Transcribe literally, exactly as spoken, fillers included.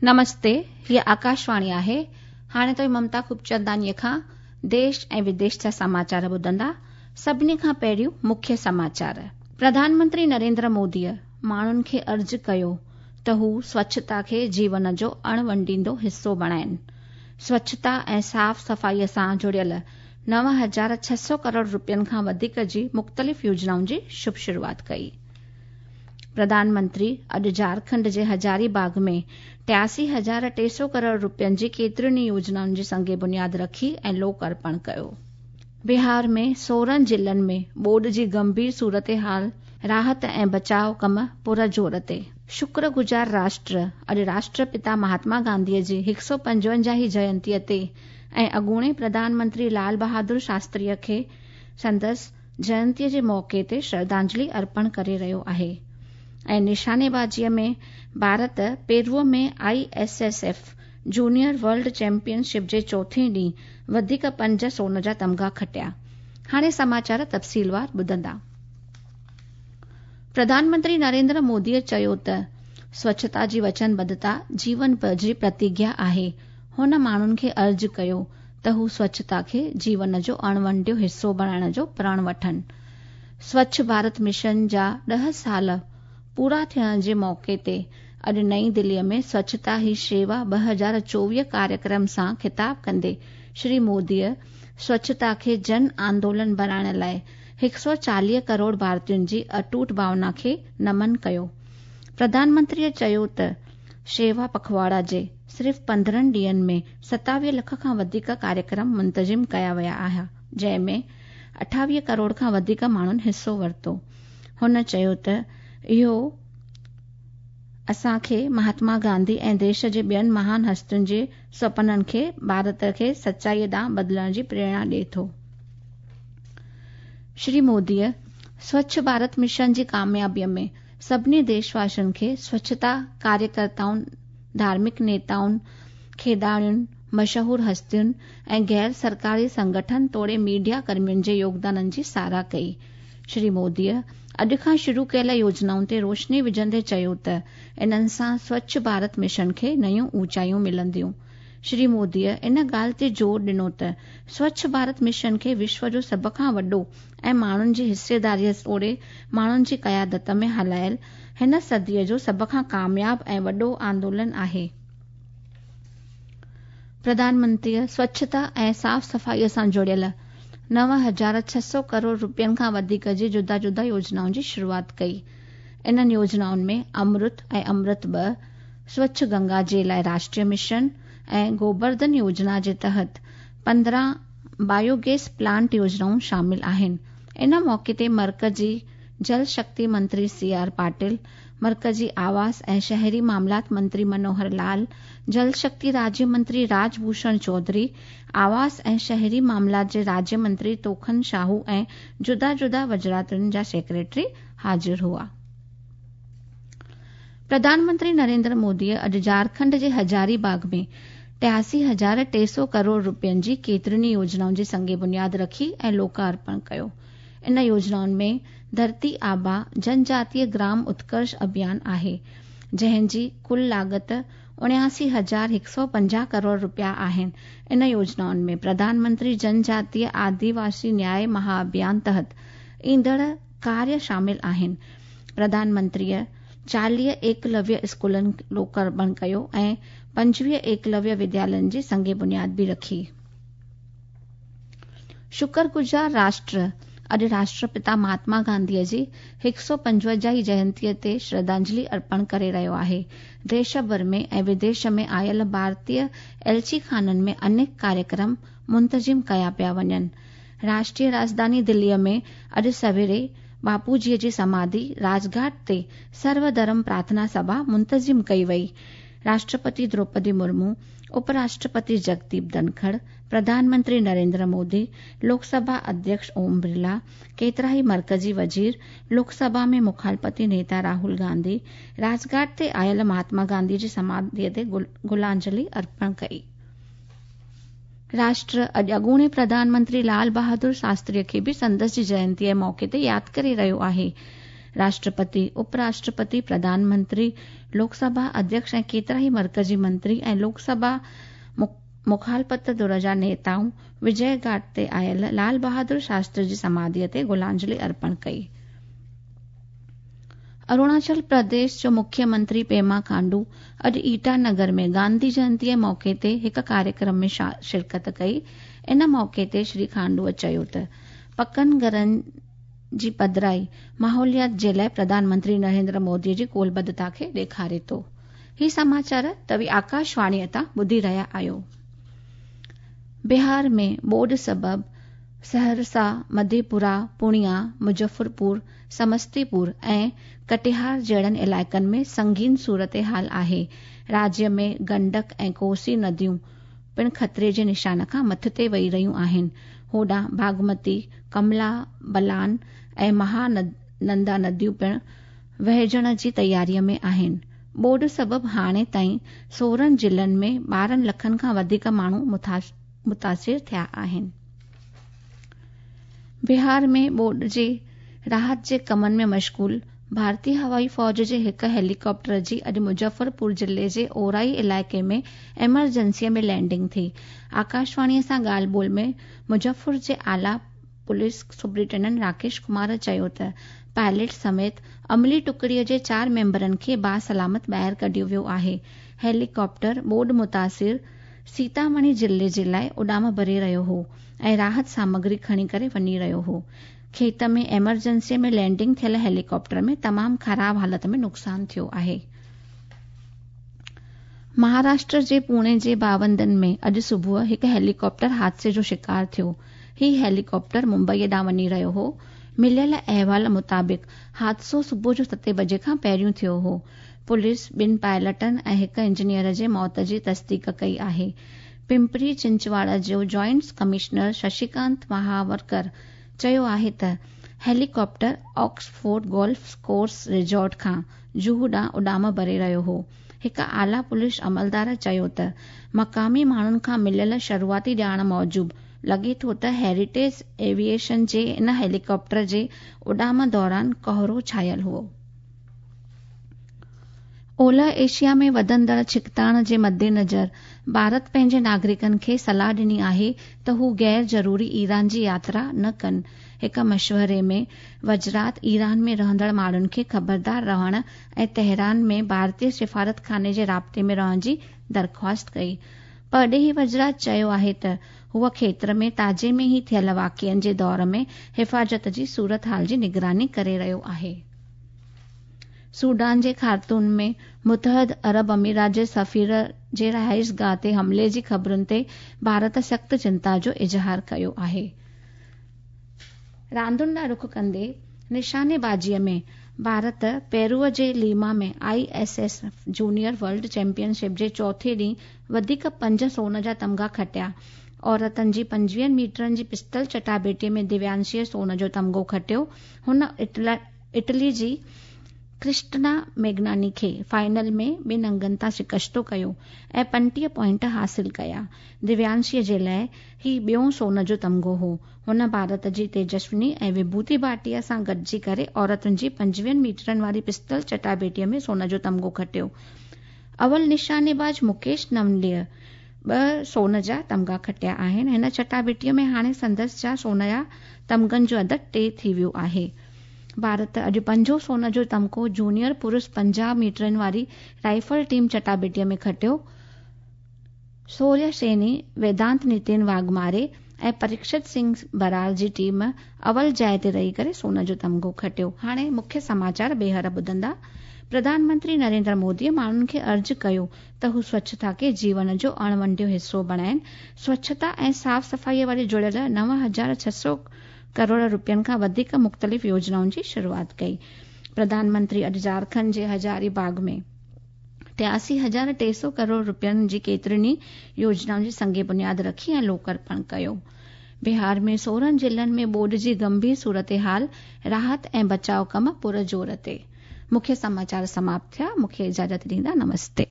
नमस्ते, हीअ आकाशवाणी आहे। हाणे तव्हीं ममता खूबचंदानीअ खां देश ऐं विदेश जा समाचार ॿुधंदा। सभिनी खां पहिरियों मुख्य समाचार। प्रधानमंत्री नरेंद्र मोदीअ माण्हुनि खे अर्ज़ु कयो त हू स्वच्छता खे जीवन जो अणवंडींदो हिसो बणाइनि। स्वच्छता ऐं साफ़ सफ़ाईअ सां जुड़ियल नव हज़ार छह सौ करोड़ रुपयनि खां वधीक जी मुख़्तलिफ़ योजनाउनि जी शुभ शुरूआत कई। प्रधानमंत्री अॼु झारखंड जे हज़ारीबाग में टियासी हज़ार टे सौ करोड़ रुपयनि जी केतिरियुनि ई योजनाउनि जी संग बुनियाद रखी ऐं लोक अर्पण कयो। बिहार में सोरहं ज़िलनि में ॿोॾ जी गंभीर सूरत हाल, राहत ऐं बचाव कम पुर ज़ोर ते। शुक्रगुज़ार राष्ट्र अॼु राष्ट्रपिता महात्मा गांधीअ जी हिकु सौ पंजवंजाहीं जयंतीअ ते ऐं अॻूणे प्रधानमंत्री लाल बहादुर शास्त्रीअ खे संदसि जयंतीअ जे मौक़े ते श्रद्धांजलि अर्पण करे रहियो आहे। ऐं निशानेबाज़ीअ में भारत पेरू में I S S F junior world championship जे चोथें ॾींहुं वधीक पंज सोन जा तमगा खटिया। हाणे समाचार तफ़सीलवार ॿुधंदा। प्रधानमंत्री नरेंद्र मोदीअ चयो त स्वच्छता जी वचनबद्धता जीवन भर जी प्रतिज्ञा आहे। हुन माण्हुनि खे अर्ज़ु कयो त हू स्वच्छता खे जीवन जो अणवंडियो हिसो बणाइण जो प्रण वठनि। स्वच्छ भारत मिशन जा ॾह साल पूरा थियण जे मौक़े ते अॼु नई दिल्लीअ में स्वच्छता ही शेवा ॿ हज़ार चोवीह कार्यक्रम सां ख़िताब कंदे श्री मोदीअ स्वच्छता खे जन आंदोलन बणाइण लाइ हिकु सौ चालीह करोड़ भारतीयुनि जी अटूट भावना खे नमन कयो। प्रधानमंत्रीअ चयो त शेवा पखवाड़ा जे सिर्फ़ पंद्रहं ॾींहंनि में सतावीह लख खां वधीक कार्यक्रम मुंतज़िम कया विया आहिनि, जंहिं में अठावीह करोड़ खां वधीक माण्हुनि हिसो वरितो। हुन चयो त इहो असांखे महात्मा गांधी ऐं देश जे ॿियनि महान हस्तियुनि जे सपननि खे भारत खे सचाईअ ॾांहुं बदिलण जी प्रेरणा ॾिए थो। श्री मोदीअ स्वच्छ भारत मिशन जी कामयाबीअ में सभिनी देशवासियुनि खे स्वच्छता कार्यकर्ताउनि, धार्मिक नेताउनि, खेॾाड़ियुनि, मशहूर हस्तियुनि ऐं गैर सरकारी संगठन तोड़े मीडिया कर्मियुनि जे योगदाननि जी सराह कई। श्री मोदीअ अॼु खां शुरू कयल योजनाउनि ते रोशनी विझंदे चयो त इन्हनि सां स्वच्छ भारत मिशन खे नयूं ऊंचाइयूं मिलंदियूं। श्री मोदीअ इन ॻाल्हि ते ज़ोर ॾिनो त स्वच्छ भारत मिशन खे विश्व जो सभ खां वॾो ऐं माण्हुनि जी हिसेदारीअ तोड़े माण्हुनि जी क़यादत में हलायल हिन सदीअ जो सभ खां कामयाब ऐं वॾो आंदोलन आहे। प्रधानमंत्रीअ स्वच्छता ऐं साफ़ सफ़ाईअ सां जुड़ियल नव हज़ार छह सौ करोड़ रुपयनि खां वधीक जी जुदा जुदा योजनाउनि जी शुरूआत कई। इन्हनि योजनाउनि में अमृत ऐं अमृत ॿ, स्वच्छ गंगा जे लाइ राष्ट्रीय मिशन ऐं गोबर्धन योजना जे तहत पंद्रहं बायोगैस प्लांट योजनाऊं शामिल आहिनि। इन मौक़े ते मर्कज़ी जल शक्ति मंत्री सी आर पाटिल, मर्कज़ी आवास ऐं शहरी मामलात मंत्री मनोहर लाल, जल शक्ति राज्य मंत्री राजभूषण चौधरी, आवास ऐं शहरी मामलात जे राज्य मंत्री तोखन शाहू ऐं जुदा जुदा वज़ारतुनि जा सेक्रेटरी हाज़िर हुआ। प्रधानमंत्री नरेंद्र मोदीअ अॼु झारखंड जे हज़ारीबाग में टियासी हज़ार टे सौ करोड़ रुपयनि जी केतिरियुनि ई योजनाउनि जी संग बुनियाद रखी ऐं लोकार्पण कयो। इन योजनाउनि में धरती आबा जनजातीय ग्राम उत्कर्ष अभियान आहे, जंहिं जी कुल लागत उणियासी हज़ार हिकु सौ पंजाह करोड़ रुपया आहिनि। इन योजनाउनि में प्रधानमंत्री जनजातीय आदिवासी न्याय महाअभियान तहत ईंदड़ कार्य शामिल आहिनि। प्रधानमंत्रीअ चालीह एकलव्य स्कूलनि लोकार्पण कयो ऐं पंजवीह एकलव्य विद्यालयनि जी संग बुनियाद बि रखी। शुक्रगुज़ार राष्ट्र अॼु राष्ट्रपिता महात्मा गांधीअ जी हिकु सौ पंजवंजाहीं जयंतीअ ते श्रद्धांजलि अर्पण करे रहियो आहे। देश भर में ऐं विदेश में आयल भारतीय एल्ची खाननि में अनेक कार्यक्रम मुंतज़िम कया पिया वञनि। राष्ट्रीय राजधानी दिल्लीअ में अॼु सवेरे बापूजीअ जी समाधि राजघाट ते सर्वधर्म प्रार्थना सभा मुंतज़िम कई वई। राष्ट्रपति द्रौपदी मुर्मू, उपराष्ट्रपति जगदीप धनखड़, प्रधानमंत्री नरेंद्र मोदी, लोकसभा अध्यक्ष ओम बिरला, केतिरा ई मर्कज़ी वज़ीर, लोकसभा में मुखालपति नेता राहुल गांधी राजघाट ते आयल महात्मा गांधी जी समाधीअ ते गुलांजलि अर्पण कई। राष्ट्र अॼु अॻूणे प्रधानमंत्री लाल बहादुर शास्त्रीअ खे बि संदसि जी जयंतीअ जे मौक़े ते यादि करे रहियो आहे। राष्ट्रपति, उपराष्ट्रपति, प्रधानमंत्री, लोकसभा अध्यक्ष ऐं केतिरा ई मर्कज़ी मंत्री ऐं लोकसभा मुखालपत धुर जा नेताऊं विजय घाट ते आयल लाल बहादुर शास्त्री जी समाधीअ ते गुलांजलि अर्पण कई। अरुणाचल प्रदेश जो मुख्यमंत्री पेमा खांडू अॼु ईटानगर में गांधी जयंतीअ मौक़े ते हिकु कार्यक्रम में शिरकत कई। इन मौक़े ते श्री खांडूअ चयो त पकनि घरनि जी पधराई माहौलियात जे लाइ प्रधानमंत्री नरेंद्र मोदीअ जी कोलबद्धता खे ॾेखारे थो। ही समाचार तव्हीं आकाशवाणीअ तां ॿुधी रहिया आहियो। बिहार में ॿोॾ सबबु सहरसा, मधेपुरा, पूर्णिया, मुज़फ़रपुर, समस्तीपुर ऐं कटिहार जहिड़नि इलाइक़नि में संगीन सूरत हाल आहे। राज्य में गंडक ऐं कोसी नदियूं पिणु ख़तरे जे निशान खां मथिते वही रहियूं आहिनि। होॾां बागमती, कमला बलान ऐं महानंदा नदियूं पिणु वहिजण जी तयारीअ में आहिनि। ॿोॾ सबबु हाणे ताईं सोरहं ज़िलनि में ॿारहं लखनि खां वधीक माण्हू मुतासिर थिया आहिनि। बिहार में ॿोॾ जे राहत जे कमनि में मशगूल भारतीय हवाई फ़ौज जे हिकु हेलीकॉप्टर जी अॼु मुज़फ़रपुर ज़िले जे ओराई इलाइक़े में एमरजेंसीअ में लैंडिंग थी। आकाशवाणीअ सां ॻाल्हि ॿोल में मुज़फ़र जे आला पुलिस सुपरिटेंडेंट राकेश कुमार चयो त पायलट समेत अमली टुकड़ीअ जे चारि मेंबरनि खे बासलामत ॿाहिरि कढियो वियो आहे। हेलीकॉप्टर ॿोॾ मुतासिर सीतामढ़ी ज़िले जे लाइ उॾाम भरे रहियो हो ऐं राहत सामग्री खणी करे वञी रहियो हो। खेत में एमरजेंसीअ में लैंडिंग थियल हेलीकॉप्टर में तमामु ख़राब हालत में नुक़सानु थियो आहे। महाराष्ट्र जे पुणे जे बावंदन में अॼु सुबुह हिकु हेलीकॉप्टर हादसे जो शिकार थियो। ही हेलीकॉप्टर मुंबईअ ॾांहुं वञी रहियो हो। मिलियल अहवाल मुताबिक़ हादसो सुबुह जो सते बजे खां पहिरियों थियो हो। पुलिस ॿिनि पायलटनि ऐं हिकु इंजीनियर जे मौत जी तस्दीक कई आहे। पिंपरी चिंचवाड़ा जो जॉइंट कमिश्नर शशिकांत महावरकर चयो आहे त helicopter Oxford golf course resort खां जुहू ॾांहुं उॾाम भरे रहियो हो। हिकु आला पुलिस अमलदार चयो त मक़ामी माण्हुनि खां मिलियल शुरूआती ॼाण मूजिबि लॻे थो त हेरिटेज एविएशन जे इन हेलीकॉप्टर जे उॾाम दौरान कोहरो छायल हुओ। ओलह एशिया में वधंदड़ छिकताण जे मद्देनज़र भारत पंहिंजे नागरिकनि खे सलाह ॾिनी आहे त हू गैर ज़रूरी ईरान जी यात्रा न कनि। हिकु मशवरे में वज़रात ईरान में रहंदड़ माण्हुनि खे ख़बरदार रहण ऐं तेहरान में भारतीय सिफारत खाने जे राब्ते में रहण जी दरख़्वास्त कई। परॾेही वज़रात चयो आहे त हूअ खेतर में ताज़े में ई थियल वाक़िअनि जे दौर में हिफ़ाज़त जी सूरत हाल जी निगरानी करे रहियो आहे। सूडान जे खार्तूम में मुतहद अरब अमीरात जे सफ़ीर जे रिहाइश गाह ते हमले जी ख़बरुनि ते भारत सख़्तु चिंता जो इज़हार कयो आहे। रांदुनि ॾांहुं रुख कंदे निशानेबाज़ीअ में भारत पेरूअ जे लीमा में I S S junior world championship जे चोथे ॾींहुं वधीक पंज सोन जा तमगा खटिया। औरतनि जी पंजवीहनि मीटरनि जी पिस्टल चटाबेटीअ में दिव्यांशीअ सोन जो तमगो खटियो। हुन इटली जी क्रिस्टना मेगनानी खे फाइनल में ॿिनि अंगनि तां शिकस्तो कयो ऐं पंटीह पॉइंट हासिल कया। दिव्यांशीअ जे लाइ ही ॿियो सोन जो तमगो हो। हुन भारत जी तेजस्विनी ऐं विभूति भाटिया सां गॾिजी करे औरतुनि जी पंजवीहनि मीटरनि वारी पिस्टल चटाबेटीअ में सोन जो तमगो खटियो। अवल निशानेबाज़ मुकेश नवलीअ ॿ सोन जा तमगा खटिया आहिनि। हिन चटाबेटीअ में हाणे संदसि जा सोन जा तमगनि जो अदद टे थी वियो आहे। भारत अॼु पंजो सोन जो तमगो जूनियर पुरुष पंजाह मीटरनि वारी राइफल टीम चटाबेटीअ में खटियो। सूर्य सैनी, वेदांत नितिन वाघमारे ऐं परीक्षित सिंह बराल जी टीम अवल जाइ ते रही करे सोन जो तमगो खटियो। हाणे मुख्य समाचार ॿीहर ॿुधंदा। प्रधानमंत्री नरेंद्र मोदीअ माण्हुनि खे अर्ज़ु कयो त हू स्वच्छता खे जीवन जो अणवंडियो हिसो बणाइनि। स्वच्छता ऐं साफ़ सफ़ाईअ वारे जुड़ियल नव हज़ार छह सौ करोड़ रुपयनि खां वधीक मुख़्तलिफ़ योजनाउनि जी शुरूआत कई। प्रधानमंत्री अॼु झारखंड जे हज़ारीबाग में टियासी हज़ार टे सौ करोड़ रुपयनि जी केतिरियुनि ई योजनाउनि जी संग बुनियाद रखी ऐं लोकार्पण कयो। बिहार में सोरहं ज़िलनि में ॿोॾ जी गंभीर सूरत हाल, राहत ऐं बचाव कम पुर ज़ोर ते। मुख्य समाचार समाप्त थिया। मूंखे इजाज़त ॾींदा। नमस्ते।